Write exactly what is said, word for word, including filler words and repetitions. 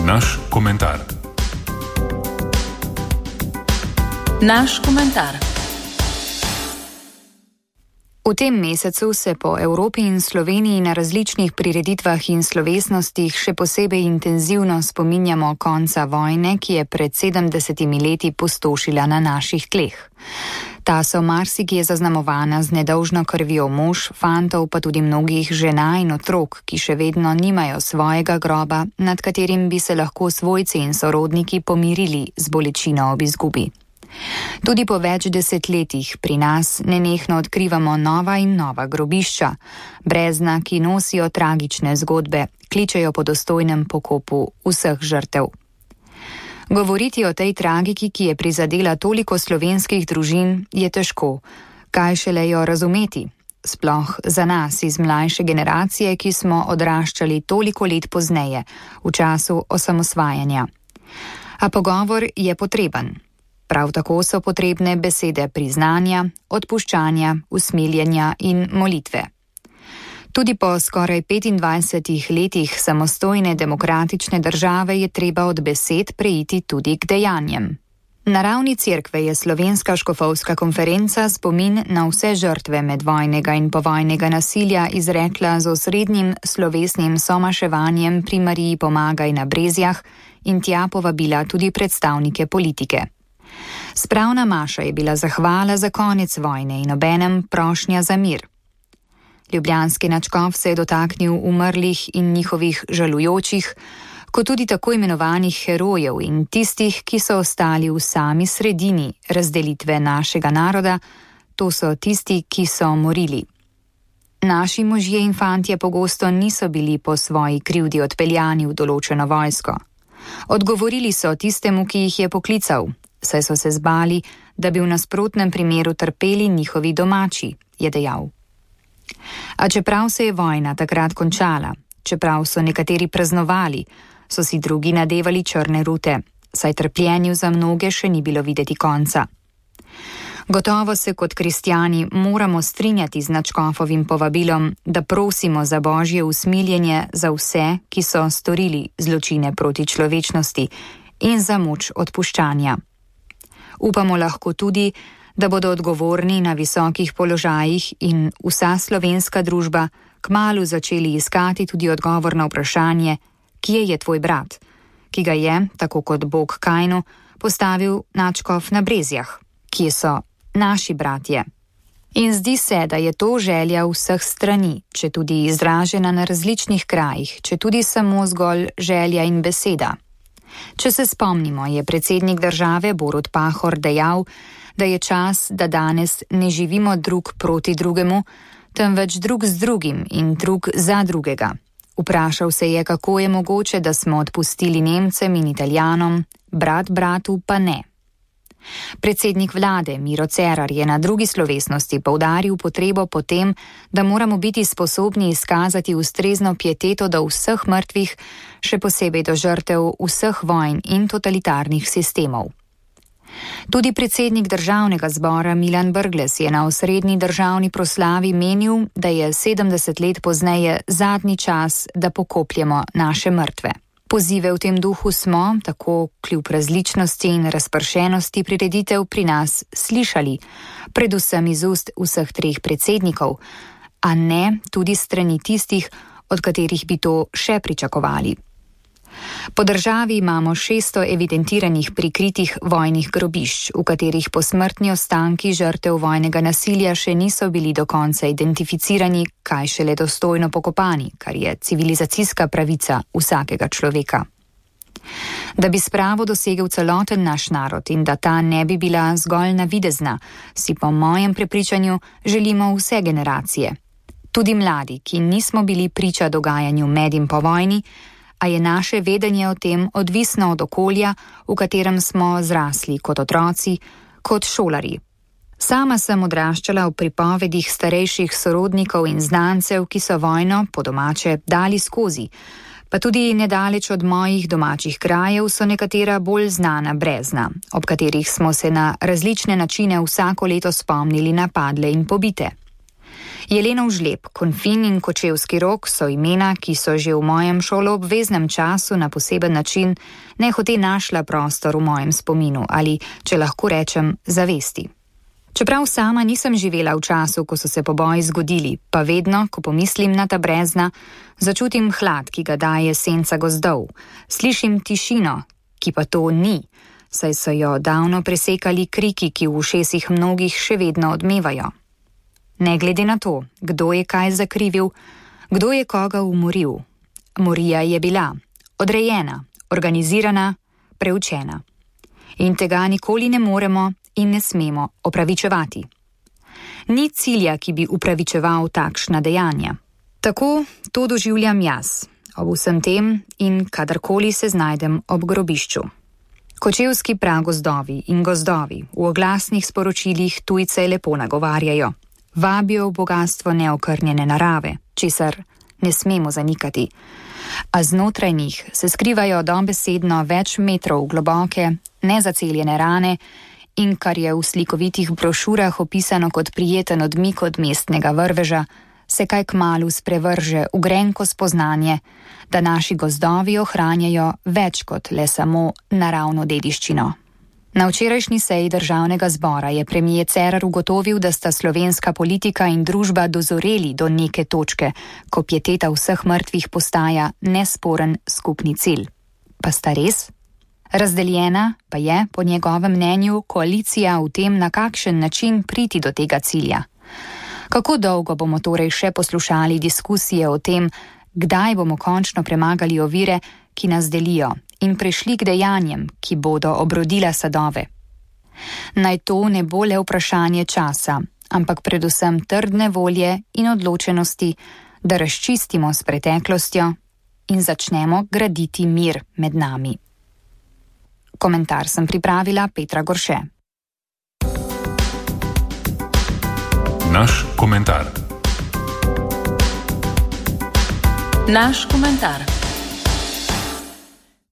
Naš komentar. Naš komentar. V tem mesecu se po Evropi in Sloveniji na različnih prireditvah in slovesnostih še posebej intenzivno spominjamo konca vojne, ki je pred sedemdesetimi leti pustošila na naših tleh. Ta so marsikje zaznamovana z nedolžno krvjo mož, fantov, pa tudi mnogih žena in otrok, ki še vedno nimajo svojega groba, nad katerim bi se lahko svojci in sorodniki pomirili z bolečino ob izgubi. Tudi po več desetletjih pri nas nenehno odkrivamo nova in nova grobišča, brezna, ki nosijo tragične zgodbe, kličejo po dostojnem pokopu vseh žrtev. Govoriti o tej tragiki, ki je prizadela toliko slovenskih družin, je težko, kaj šele jo razumeti, sploh za nas iz mlajše generacije, ki smo odraščali toliko let pozneje, v času osamosvajanja. A pogovor je potreben. Prav tako so potrebne besede priznanja, odpuščanja, usmiljenja in molitve. Tudi po skoraj petindvajsetih letih samostojne demokratične države je treba od besed preiti tudi k dejanjem. Na ravni cerkve je Slovenska škofovska konferenca spomin na vse žrtve medvojnega in povojnega nasilja izrekla z osrednjim slovesnim somaševanjem pri Mariji Pomagaj na Brezjah in tja povabila tudi predstavnike politike. Spravna maša je bila zahvala za konec vojne in obenem prošnja za mir. Ljubljanski nadškof se je dotaknil umrlih in njihovih žalujočih, kot tudi tako imenovanih herojev in tistih, ki so ostali v sami sredini razdelitve našega naroda, to so tisti, ki so morili. Naši možje in fantje pogosto niso bili po svoji krivdi odpeljani v določeno vojsko. Odgovorili so tistemu, ki jih je poklical, saj so se zbali, da bi v nasprotnem primeru trpeli njihovi domači, je dejal. A čeprav se je vojna takrat končala, čeprav so nekateri praznovali, so si drugi nadevali črne rute, saj trpljenju za mnoge še ni bilo videti konca. Gotovo se kot kristjani moramo strinjati z nadškofovim povabilom, da prosimo za božje usmiljenje za vse, ki so storili zločine proti človečnosti in za moč odpuščanja. Upamo lahko tudi, da bodo odgovorni na visokih položajih in vsa slovenska družba kmalu začeli iskati tudi odgovor na vprašanje, kje je tvoj brat, ki ga je, tako kot Bog Kainu, postavil nadškof na Brezjah, kje so naši bratje. In zdi se, da je to želja vseh strani, če tudi izražena na različnih krajih, če tudi samo zgolj želja in beseda. Če se spomnimo, je predsednik države Borut Pahor dejal, da je čas, da danes ne živimo drug proti drugemu, temveč drug z drugim in drug za drugega. Vprašal se je, kako je mogoče, da smo odpustili Nemcem in Italijanom, brat bratu pa ne. Predsednik vlade Miro Cerar je na drugi slovesnosti poudaril potrebo po tem, da moramo biti sposobni izkazati ustrezno pieteto do vseh mrtvih, še posebej do žrtev vseh vojn in totalitarnih sistemov. Tudi predsednik državnega zbora Milan Brglez je na osrednji državni proslavi menil, da je sedemdeset let pozneje zadnji čas, da pokopljemo naše mrtve. Pozive v tem duhu smo, tako kljub različnosti in razpršenosti prireditev pri nas, slišali, predvsem iz ust vseh treh predsednikov, a ne tudi strani tistih, od katerih bi to še pričakovali. Po državi imamo šeststo evidentiranih prikritih vojnih grobišč, v katerih posmrtni ostanki žrtev vojnega nasilja še niso bili do konca identificirani, kaj šele dostojno pokopani, kar je civilizacijska pravica vsakega človeka. Da bi spravo dosegel celoten naš narod in da ta ne bi bila zgolj navidezna, si po mojem prepričanju želimo vse generacije. Tudi mladi, ki nismo bili priča dogajanju med in po vojni, a je naše vedenje o tem odvisno od okolja, v katerem smo zrasli kot otroci, kot šolari. Sama sem odraščala v pripovedih starejših sorodnikov in znancev, ki so vojno, po domače, dali skozi, pa tudi nedaleč od mojih domačih krajev so nekatera bolj znana brezna, ob katerih smo se na različne načine vsako leto spomnili na padle in pobite. Jelenov žleb, Konfin in Kočevski rok so imena, ki so že v mojem šoloobveznem času na poseben način nehote našla prostor v mojem spominu ali, če lahko rečem, zavesti. Čeprav sama nisem živela v času, ko so se poboji zgodili, pa vedno, ko pomislim na ta brezna, začutim hlad, ki ga daje senca gozdov, slišim tišino, ki pa to ni, saj so jo davno presekali kriki, ki v ušesih mnogih še vedno odmevajo. Ne glede na to, kdo je kaj zakrivil, kdo je koga umoril. Morija je bila odrejena, organizirana, preučena. In tega nikoli ne moremo in ne smemo opravičevati. Ni cilja, ki bi upravičeval takšna dejanja. Tako to doživljam jaz, ob vsem tem in kadarkoli se znajdem ob grobišču. Kočevski pragozdovi in gozdovi v oglasnih sporočilih tujce lepo nagovarjajo. Vabijo v bogatstvo neokrnjene narave, česar ne smemo zanikati. A znotraj njih se skrivajo dobesedno več metrov globoke, nezaceljene rane in kar je v slikovitih brošurah opisano kot prijeten odmik od mestnega vrveža, se kaj kmalu sprevrže v grenko spoznanje, da naši gozdovi ohranjajo več kot le samo naravno dediščino. Na včerajšnji seji državnega zbora je premier Cerar ugotovil, da sta slovenska politika in družba dozoreli do neke točke, ko pieteta vseh mrtvih postaja nesporen skupni cilj. Pa sta res? Razdeljena pa je, po njegovem mnenju, koalicija v tem, na kakšen način priti do tega cilja. Kako dolgo bomo torej še poslušali diskusije o tem, kdaj bomo končno premagali ovire, ki nas delijo, in prešli k dejanjem, ki bodo obrodila sadove. Naj to ne bo le vprašanje časa, ampak predvsem trdne volje in odločenosti, da razčistimo s preteklostjo in začnemo graditi mir med nami. Komentar sem pripravila Petra Gorše. Naš komentar. Naš komentar.